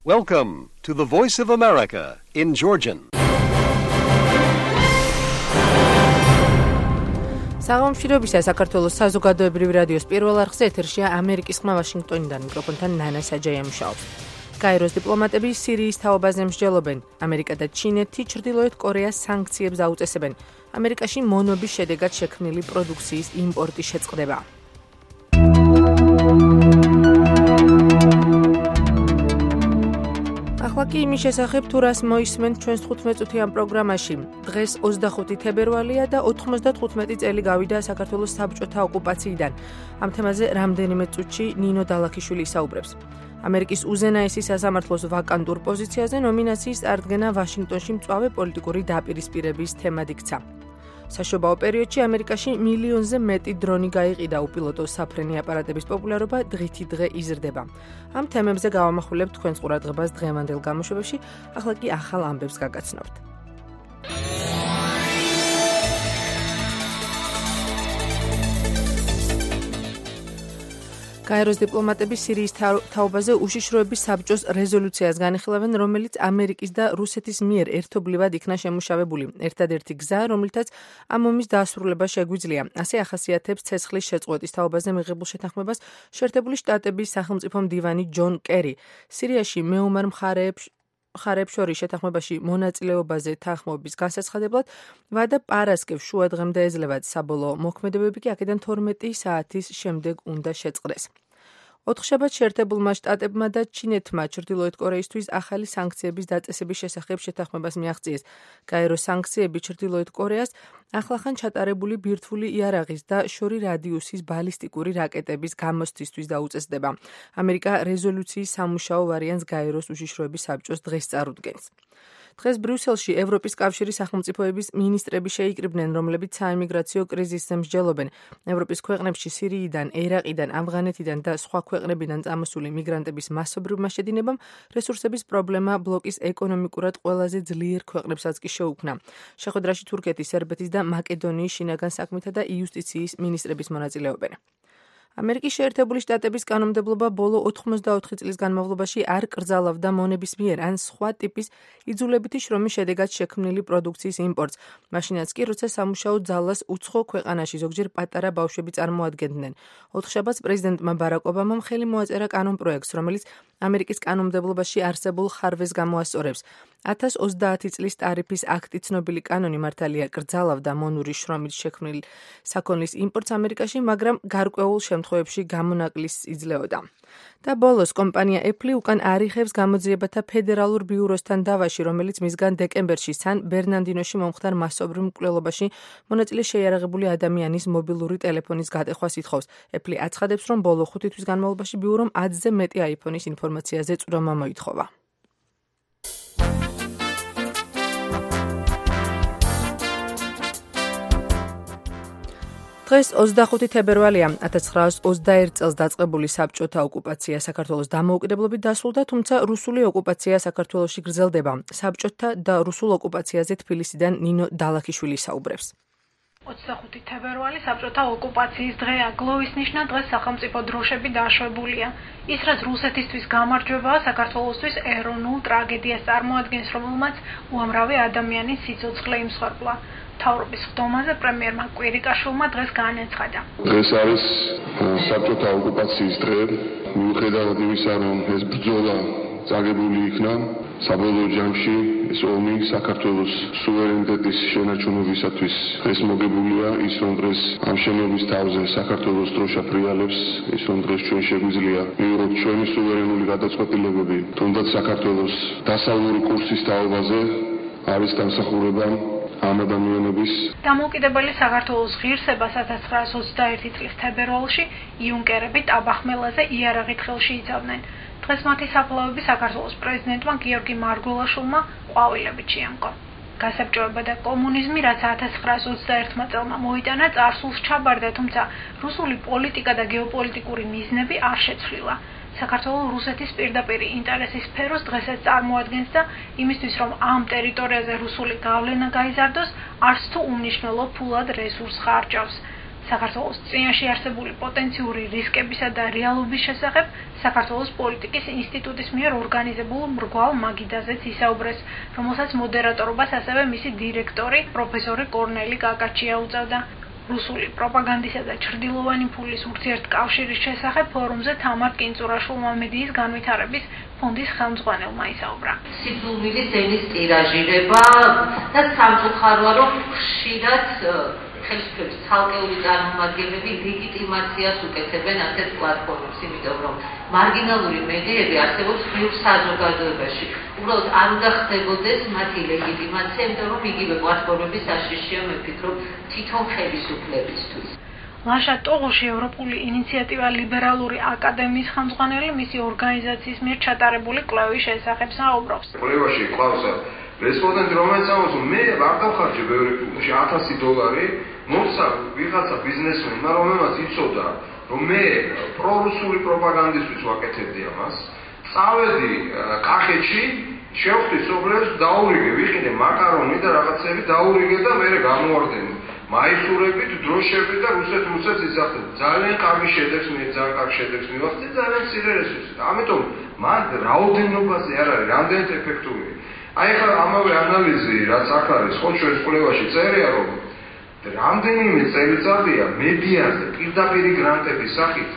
Welcome to the Voice of America in Georgian. საღამოშირობისა საქართველოს საზოგადოებრივი რადიოს პირველ არხზე ეთერშია ამერიკის ხმა ვაშინგტონიდან მიკროფონთან ნანა საჯაია მუშაობს. გაეროს დიპლომატები სირიის თაობაზე მსჯელობენ. ამერიკა და ჩინეთი ჩრდილოეთ კორეას სანქციებს აუწესებენ. ამერიკაში მონობის შედეგად შექმნილი პროდუქციის იმპორტი შეწყდება. ახლა კი იმის შესახებ თუ რას მოისმენთ ჩვენს 15 წუთიან პროგრამაში. დღეს 25 თებერვალია და 95 წელი გავიდა საქართველოს საბჭოთა ოკუპაციიდან. ამ თემაზე რამდენიმე წუთში ნინო დალაქიშვილი ისაუბრებს. ამერიკის უზენაესი სასამართლოს ვაკანტურ პოზიციაზე ნომინაციის წარდგენა ვაშინგტონში მწვავე პოლიტიკური დაპირისპირების თემად იქცა. საშობაო პერიოდში ამერიკაში მილიონზე მეტი დრონი გაიყიდა, უპილოტო საფრენი აპარატების პოპულარობა დღითი დღე იზრდება. ამ თემებზე გავამახვილებთ თქვენს ყურადღებას დღევანდელ გამოშვებებში, ახლა კი ახალ ამბებს გაგაცნობთ. გაეროს დიპლომატები სირიის თაობაზე უშიშროების საბჭოს რეზოლუციას განიხილავენ, რომელიც ამერიკის და რუსეთის მიერ ერთობლივად იქნა შემუშავებული. ერთადერთი გზა, რომლითაც ამ ომის დასრულება შეგვიძლია. ასე ახასიათებს ცეცხლის შეწყვეტის თაობაზე მიღებულ შეთანხმებას შეერთებული შტატების სახელმწიფო მდივანი ჯონ კერი. სირიაში მეომარ მხარეებს შორის შეთანხმებაში მონაწილეობაზე თანხმობის განსაცხადებლად ვადა პარასკევს შუა დღემდე ეძლევა. საბოლოო მოქმედებები კი აქედან 12 საათის შემდეგ უნდა შეწყდეს. ოთხშაბათს შეერთებულმა შტატებმა და ჩინეთმა ჩრდილოეთ კორეისთვის ახალი სანქციების დაწესების შესახებ შეთანხმებას მიაღწიეს. გაეროს სანქციები ჩრდილოეთ კორეას ახლახან ჩატარებული ბირთვული იარაღის და შორი რადიუსის ბალისტიკური რაკეტების გამოსცისთვის დაუწესდება. ამერიკა რეზოლუციის სამუშაო ვარიანტს გაეროს უშიშროების საბჭოს დღეს წარუდგენს. დღეს ბრიუსელში ევროპის კავშირის სახელმწიფოების მინისტრები შეიკრიბნენ, რომლებიც საიმიგრაციო კრიზისზე მსჯელობენ. ევროპის ქვეყნებში სირიიდან, ერაყიდან, ავღანეთიდან და სხვა ქვეყნებიდან წამოსული მიგრანტების მასობრივმა შედინებამ რესურსების პრობლემა ბლოკის ეკონომიკურად ყველაზე ძლიერ ქვეყნებსაც კი შეუქმნა. შეხვედრაში თურქეთის, სერბეთის და მაკედონიის შინაგან საქმეთა და იუსტიციის მინისტრების მონაწილეობენ. ამერიკის შეერთებული შტატების კანონმდებლობა ბოლო 84 წლის განმავლობაში არ კრძალავდა მონების მიერ ან სხვა ტიპის იძულებითი შრომის შედეგად შექმნილი პროდუქციის იმპორტს. მაშინაც კი, როცა სამუშაო ძალას უცხო ქვეყანაში ზოგჯერ პატარა ბავშვები წარმოადგენდნენ. ოთხშაბათს პრეზიდენტმა ბარაკ ობამამ ხელი მოაწერა კანონპროექტს, რომელიც ამერიკის კანონმდებლობაში არსებულ ხარვეს გამოასწორებს. 1030 წლის ტარიფის აქტი ცნობილი კანონი მართალია კრძალავდა მონური შრომით შექმნილ საქონლის იმპორტს ამერიკაში, მაგრამ გარკვეულ შემთხვევებში გამონაკლისს იძლეოდა. და ბოლოს კომპანია Apple უკან არიხებს გამოძიებათა ფედერალურ ბიუროსთან დავაში, რომელიც მისგან დეკემბერში სან ბერნარდინოში მომხდარ მასობრივ მკვლელობაში მონაწილე შეიარაღებული ადამიანის მობილური ტელეფონის გატეხვას ითხოვს. Apple აცხადებს, რომ ბოლო 5 თვის განმავლობაში ბიურომ 10-ზე მეტი iPhone-ის ინფორმაციაზე წვრომა მოითხოვა. დღეს 25 თებერვალია. 1921 წელს დაწყებული საბჭოთა ოკუპაცია საქართველოს დამოუკიდებლობით დასრულდა, თუმცა რუსული ოკუპაცია საქართველოში გრძელდება. საბჭოთა და რუსულ ოკუპაციაზე თბილისიდან ნინო დალაქიშვილი ისაუბრებს. 25 თებერვალი საბჭოთა ოკუპაციის დღეა. გლოვის ნიშნად დღეს სახელმწიფო დროშები დაშვებულია. ის, რაც რუსეთისთვის გამარჯვებაა, საქართველოსთვის ეროვნულ ტრაგედიას წარმოადგენს, რომელმაც უამრავი ადამიანის სიცოცხლე იმსხვერპლა. მთავრობის ხდომაზე პრემიერმა კვირიკაშვილმა დღეს განაცხადა. დღეს არის საბჭოთა ოკუპაციის დღე. მიუხედავად იმისა, რომ ეს ბრძოლა წაგებული იქნა, საბოლოო ჯამში ეს ომი საქართველოს სუვერენიტეტის შენარჩუნებისათვის დღეს მოგებულია. ის, რომ დღეს ამ შენობის თავზე საქართველოს დროშა ფრიალებს, ის, რომ დღეს ჩვენ შეგვიძლია მივიღოთ ჩვენი სუვერენული გადაწყვეტილებები, თუნდაც საქართველოს დასავლური კურსის თაობაზე არის დამსახურება ამ ადამიანების დამოუკიდებელი საქართველოს ღირსებას 1921 წლის თებერვალში იუნკერები ტაბახმელაზე იარაღით ხელში იცავდნენ. დღეს მათი საფლავები საქართველოს პრეზიდენტმა გიორგი მარგველაშვილმა ყვავილებით შეამკო. გასაბჭოება და კომუნიზმი, რაც 1921 წელმა მოიტანა, წარსულს ჩაბარდა, თუმცა რუსული პოლიტიკა და გეოპოლიტიკური მიზნები არ შეცვლილა. საქართველოს რუსეთის პირდაპირი ინტერესის სფეროს დღესაც წარმოადგენს და იმისთვის, რომ ამ ტერიტორიაზე რუსული გავლენა გაიზარდოს, არც თუ უმნიშვნელო ფულად რესურს ხარჯავს. საქართველოს წინაშე არსებული პოტენციური რისკებისა და რეალობის შესახებ საქართველოს პოლიტიკის ინსტიტუტის მიერ ორგანიზებულ მრგვალ მაგიდაზეც ისაუბრეს, რომელსაც მოდერატორობას ასევე მისი დირექტორი პროფესორი კორნელი კაკაჩია უწევდა. რუსული პროპაგანდისა და ჩრდილოვანი ფულის ურთიერთკავშირის შესახებ ფორუმზე თამარ კინწურაშვილმა მედიის განვითარების ფონდის ხელმძღვანელმა ისაუბრა. სიძულვილის ენის ტირაჟირება და სამწუხაროა, რომ ხშირად ხელისუფლების ცალკეული წარმომადგენლები ლეგიტიმაციას უკეთებენ ასეთ პლატფორმებს, იმიტომ რომ მარგინალური მედიები არსებობს ბევრ საზოგადოებაში. უბრალოდ არ უნდა ხდებოდეს მათი ლეგიტიმაცია, იმიტომ რომ იგივე პლატფორმები საშიშია, მე ვფიქრობ, თვითონ ხელისუფლებისთვის. ლაშა ტოღოში ევროპული ინიციატივა ლიბერალური აკადემიის ხელმძღვანელი მისი ორგანიზაციის მიერ ჩატარებული კვლევის შესახებ საუბრობს. კვლევაში ყავს რესპონდენტი, რომელიც ამბობს, რომ მე არ დავხარჯე ბევრი $1000, მოხსა ვიღაცა ბიზნესმენმა, რომელმაც იცოდა, რომ მე პრორუსული პროპაგანდისთვის ვაკეთებდი ამას. წავედი კახეთში, შევხვდი სოფლებს, დაურიგე, ვიყიდე მაკარონი და რაღაცები დაურიგე და მე გამოვარდნე. მაისურებით, დროშებით და რუსეთს იზახდები. ძალიან კარგი შედეგს მივახცე, ძალიან მცირე რესურსით. ამიტომ მან რაოდენობაზე არ არის, რამდენად ეფექტური. აი ხა ამავე ანალიზი, რაც აქ არის, ხო ჩვენს კვლევაში წერია, რომ რამდენიმე წელიწადია მედიაზე პირდაპირი გრანტების სახით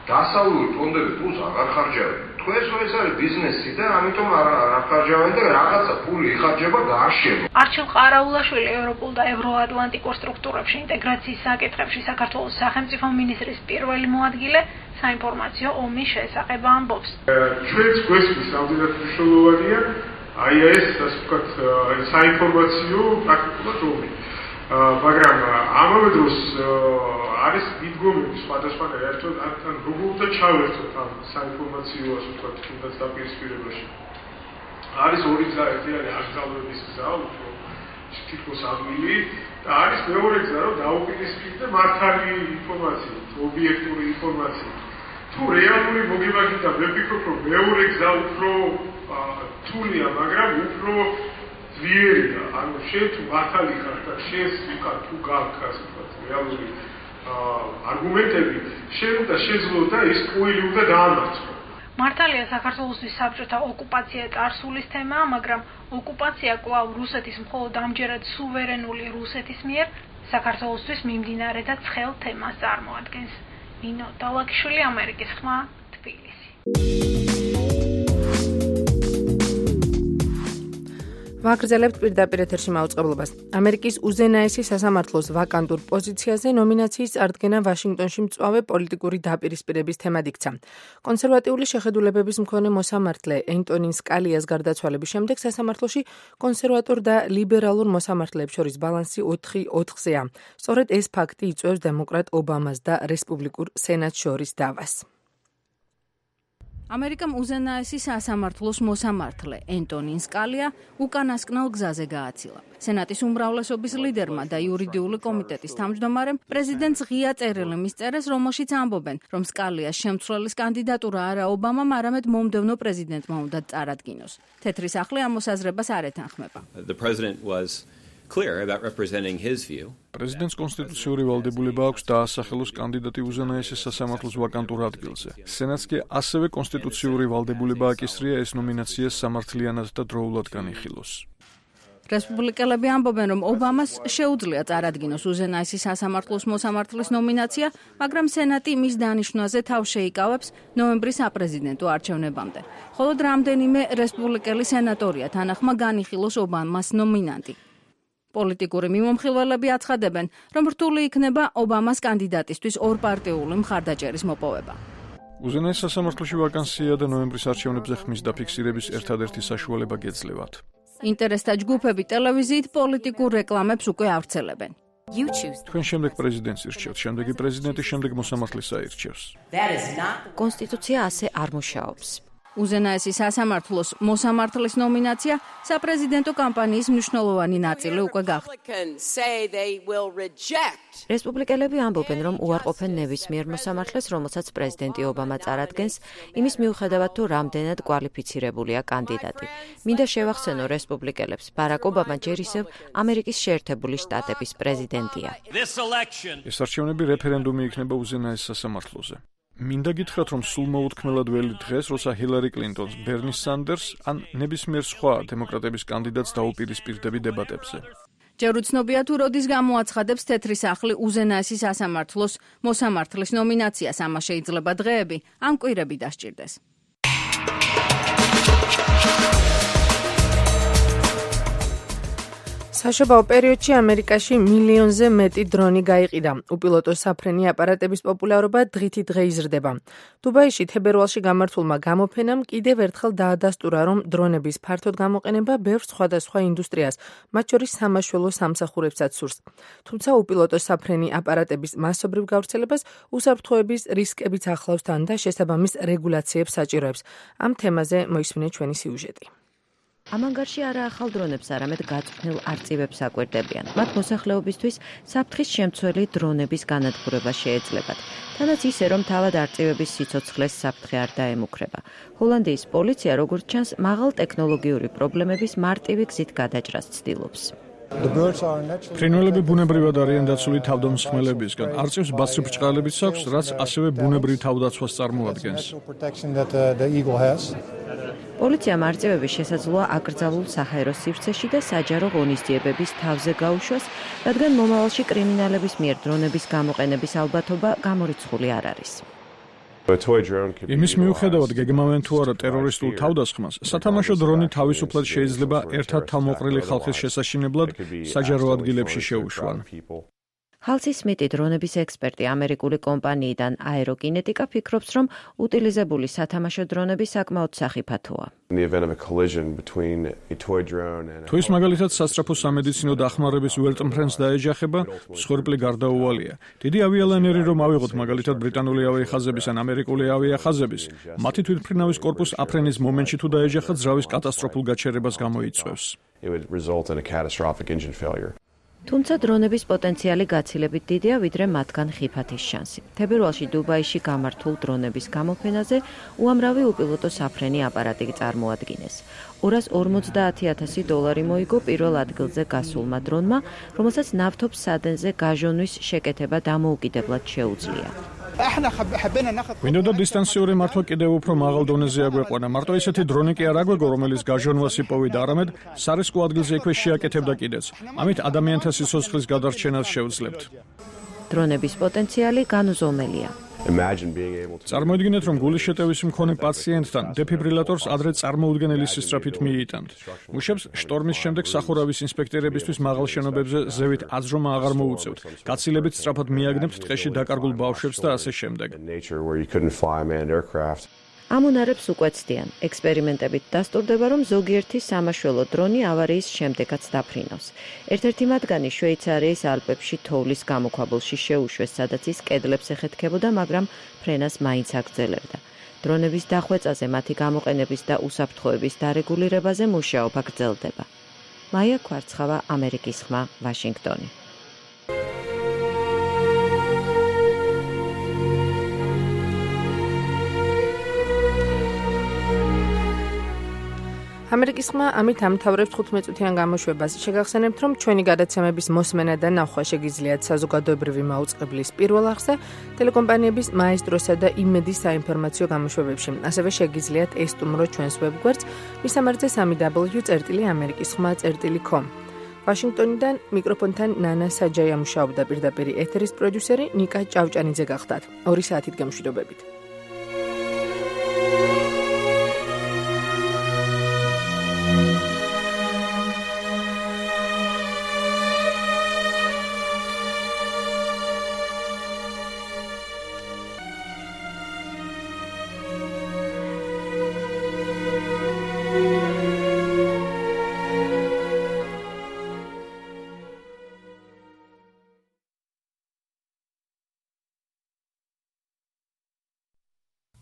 დასავლური ფონდები ფულს აღარ ხარჯავენ. თქვენს ეს არის ბიზნესი და ამიტომ არ ხარჯავენ და რაღაცა ფული იხარჯება გაარშება. არჩილ ყარაულაშვილი ევროპულ და ევროატლანტიკურ სტრუქტურებში ინტეგრაციის საკითხებში საქართველოს სახელმწიფო მინისტრის პირველი მოადგილე საინფორმაციო ომის შესახებ ამბობს. ჩვენს გვესმის რამდენად მნიშვნელოვანია აი ეს ასე ვთქვათ საინფორმაციო პრაქტიკულად ომი. მაგრამ ამავე დროს არის მიდგომები სხვადასხვანაირი, ერთად ან როგორ უნდა ჩავერთოთ ამ საინფორმაციო ასე ვთქვათ თუნდაც დაპირისპირებაში. არის ორი გზა, ერთი არის აკრძალვების გზა, უფრო თითქოს ადვილი და არის მეორე გზა, რომ დაუპირისპირდე მართალი ინფორმაციით, ობიექტური ინფორმაციით. თუ რეალური მოგება გინდა, მე ვფიქრობ, რომ მეორე გზა უფრო რთულია, მაგრამ უფრო ძლიერია. ანუ შენ თუ მართალი ხარ და შენს უკან თუ გაქვს ასე ვთქვათ რეალური არგუმენტები, შენ და შეძლო ის კუილი უნდა დაამარცხო. მართალია საქართველოსთვის საბჭოთა ოკუპაცია წარსულის თემაა, მაგრამ ოკუპაცია კვლავ რუსეთის მხოლოდ ამჯერად სუვერენული რუსეთის მიერ საქართველოსთვის მიმდინარე და ცხელ თემას წარმოადგენს. ნინო დალაკიშვილი, ამერიკის ხმა, თბილისი. ვაგრძელებთ პირდაპირ ეთერში მაუწყებლობას. ამერიკის უზენაესი სასამართლოს ვაკანტურ პოზიციაზე ნომინაციის წარდგენა ვაშინგტონში მწვავე პოლიტიკური დაპირისპირების თემად იქცა. კონსერვატიული შეხედულებების მქონე მოსამართლე ენტონი სკალიას გარდაცვალების შემდეგ სასამართლოში კონსერვატორ და ლიბერალურ მოსამართლეებს შორის ბალანსი 4-4-ზეა. სწორედ ეს ფაქტი იწვევს დემოკრატ ობამას და რესპუბლიკურ სენატს შორის დავას. ამერიკამ უზენაესი სასამართლოს მოსამართლე ენტონი სკალია უკანასკნელ გზაზე გააცილა. სენატის უმრავლესობის ლიდერმა და იურიდიული კომიტეტის თავმჯდომარემ პრეზიდენტს ღია წერილი მისწერეს, რომელშიც ამბობენ, რომ სკალიას შემცვლელის კანდიდატურა არა ობამამ, არამედ მომდევნო პრეზიდენტმა უნდა წარადგინოს. თეთრი სახლი ამ მოსაზრებას არ ეთანხმება. პრეზიდენტს კონსტიტუციური ვალდებულება აქვს დაასახელოს კანდიდატი უზენაესი სასამართლოს ვაკანტურ ადგილზე. სენატს კი ასევე კონსტიტუციური ვალდებულება აკისრია ეს ნომინაცია სამართლიანად და დროულად განიხილოს. რესპუბლიკელები ამბობენ, რომ ობამას შეუძლია წარადგინოს უზენაესი სასამართლოს მოსამართლის ნომინაცია, მაგრამ სენატი მის დანიშვნაზე თავს შეიკავებს ნოემბრის საპრეზიდენტო არჩევნებამდე. მხოლოდ რამდენიმე რესპუბლიკელი სენატორია თანახმა განიხილოს ობამას ნომინანტი. პოლიტიკური მიმომხილველები აცხადებენ, რომ რთული იქნება ობამას კანდიდატისთვის ორპარტიული მხარდაჭერის მოპოვება. უზენაეს სასამართლოში ვაკანსია და ნოემბრის არჩევნებზე ხმის დაფიქსირების ერთადერთი საშუალება გეძლევათ. ინტერესთა ჯგუფები ტელევიზიით პოლიტიკურ რეკლამებს უკვე ავრცელებენ. თქვენ შემდეგ პრეზიდენტს ირჩევთ, შემდეგი პრეზიდენტი შემდეგ მოსამართლეს აირჩევს. კონსტიტუცია ასე არ მუშაობს. უზენაესი სასამართლოს მოსამართლის ნომინაცია საპრეზიდენტო კამპანიის მნიშვნელოვანი ნაწილი უკვე გახდა. რესპუბლიკელები ამბობენ, რომ უარყოფენ ნებისმიერ მოსამართლეს, რომელსაც პრეზიდენტი ობამა წარადგენს, იმის მიუხედავად თუ რამდენად კვალიფიცირებულია კანდიდატი. მინდა შევახსენო რესპუბლიკელებს, ბარაკ ობამა ჯერ ისევ ამერიკის შეერთებული შტატების პრეზიდენტია. ეს არჩევნები რეფერენდუმი იქნება უზენაეს სასამართლოზე. მინდა გითხრათ, რომ სულ მოუთქმელად ველი დღეს, როცა ჰილარი კლინტონს, ბერნი სანდერს ან ნებისმიერ სხვა დემოკრატების კანდიდატს დაუპირისპირდები დებატებზე. ჯერ უცნობია თუ როდის გამოაცხადებს თეთრი სახლი უზენაესი სასამართლოს მოსამართლის ნომინაციას, ამას შეიძლება დღეები ან კვირები დასჭირდეს. საშობაო პერიოდში ამერიკაში მილიონზე მეტი დრონი გაიყიდა. უპილოტო საფრენი აპარატების პოპულარობა დღითი დღე იზრდება. დუბაიში თებერვალში გამართულმა გამოფენამ კიდევ ერთხელ დაადასტურა, რომ დრონების ფართოდ გამოყენება ბევრ სხვადასხვა ინდუსტრიას, მათ შორის სამაშველო სამსახურებსაც სურს. თუმცა უპილოტო საფრენი აპარატების მასობრივ გავრცელებას უსაფრთხოების რისკებიც ახლავს თან და შესაბამის რეგულაციებს საჭიროებს. ამ თემაზე მოისმინეთ ჩვენი სიუჟეტი. ამანგარში არა ახალ დრონებს, არამედ გაწვრთნილ არწივებს აკვირდებიან. მათ მოსახლეობისთვის საფრთხის შემცველი დრონების განადგურება შეეძლებათ. თანაც ისე, რომ თავად არწივების სიცოცხლეს საფრთხე არ დაემუქრება. ჰოლანდიის პოლიცია, როგორც ჩანს, მაღალ ტექნოლოგიური პრობლემების მარტივი გზით გადაჭრას ცდილობს. ფრინველები ბუნებრივად არიან დაცული თავდამსხმელებისგან. არწივს ბაცრი ბრჭყალებიც აქვს, რაც ასევე ბუნებრივ თავდაცვას წარმოადგენს. პოლიციამ არწივების შესაძლოა აკრძალულ საჰაერო სივრცეში და საჯარო ღონისძიებების თავზე გაუშვას, რადგან მომავალში კრიმინალების მიერ დრონების გამოყენების ალბათობა გამორიცხული არ არის. იმის მიუხედავად გეგმავენ თუ არა ტერორისტულ თავდასხმას, სათამაშო დრონი თავისუფლად შეიძლება ერთად თავმოყრილი ხალხის შესაშინებლად საჯარო ადგილებში შეუშვან. ჰალსი სმიტი, დრონების ექსპერტი ამერიკული კომპანიიდან აეროკინეტიკა, ფიქრობს, რომ უტილიზებული სათამაშო დრონები საკმაოდ სახიფათოა. თუ ის მაგალითად სასწრაფო სამედიცინო დახმარების ვერტმფრენს დაეჯახება, მსხვერპლი გარდაუვალია. დიდი ავიალანერი რომ ავიღოთ მაგალითად ბრიტანული ავიახაზების ან ამერიკული ავიახაზების, მათი თვითმფრინავის კორპუსს აფრენის მომენტში თუ დაეჯახათ, ძრავის კატასტროფულ გაჩერებას გამოიწვევს. თუმცა დრონების პოტენციალი გაცილებით დიდია, ვიდრე მათგან ხიფათის შანსი. თებერვალში დუბაიში გამართულ დრონების გამოფენაზე უამრავი უპილოტო საფრენი აპარატი წარმოადგინეს. $250,000 მოიგო პირველ ადგილზე გასულმა დრონმა, რომელსაც ნავთობს სადენზე გაჟონვის შეკეთება დამოუკიდებლად შეუძლია. მინდოდა დისტანციური მართვა კიდევ უფრო მაღალ დონეზე აგვეყვანა. მარტო ისეთი დრონი კი არ აგვეგო, რომელიც გაჟონვას იპოვიდა, არამედ სარისკო ადგილზე იქვე შეაკეთებდა კიდეც. ამით ადამიანთა სიცოცხლის გადარჩენას შევძლებთ. დრონების პოტენციალი განუზომელია. წარმოიდგინეთ, რომ გულის შეტევის მქონე პაციენტთან დეფიბრილატორს ადრე წარმოუდგენელი სისწრაფით მიიტანთ. მუშებს შტორმის შემდეგ სახურავის ინსპექტორებისთვის მაღალ შენობებზე ზევით აძრომა აღარ მოუწევთ. გაცილებით სწრაფად მიაგნებთ ტყეში დაკარგულ ბავშვებს და ასე შემდეგ. ამონარებს უკვე ცდიან. ექსპერიმენტებით დასტურდება, რომ ზოგიერთი სამაშველო დრონი ავარიის შემდეგაც დაფრინავს. ერთ-ერთი მათგანი შვეიცარიის ალპებში თოვლის გამოქვაბულში შეუშვეს, სადაც ის კედლებს ეხეთქებოდა, მაგრამ ფრენას მაინც აგრძელებდა. დრონების დახვეწაზე, მათი გამოყენების და უსაფრთხოების დარეგულირებაზე მუშაობა გრძელდება. მაია კვარცხავა, ამერიკის ხმა, ვაშინგტონი. ამერიკის ხმა ამით ამთავრებს 15 წუთიან გამოშვებას. შეგახსენებთ, რომ ჩვენი გადაცემების მოსმენა და ნახვა შეგიძლიათ საზოგადოებრივი მაუწყებლის პირველ არხზე, ტელეკომპანიების მაესტროსა და იმედის საინფორმაციო გამოშვებებში. ასევე შეგიძლიათ ესტუმროთ ჩვენს ვებგვერდს მისამართზე www.amerikiskhma.com. ვაშინგტონიდან მიკროფონთან ნანა საჯაია მუშაობდა, პირდაპირ ეთერის პროდიუსერი ნიკა ჭავჭანიძე გახდათ. 2 საათით გამშვიდობებით.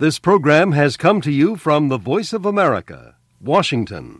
This program has come to you from the Voice of America, Washington.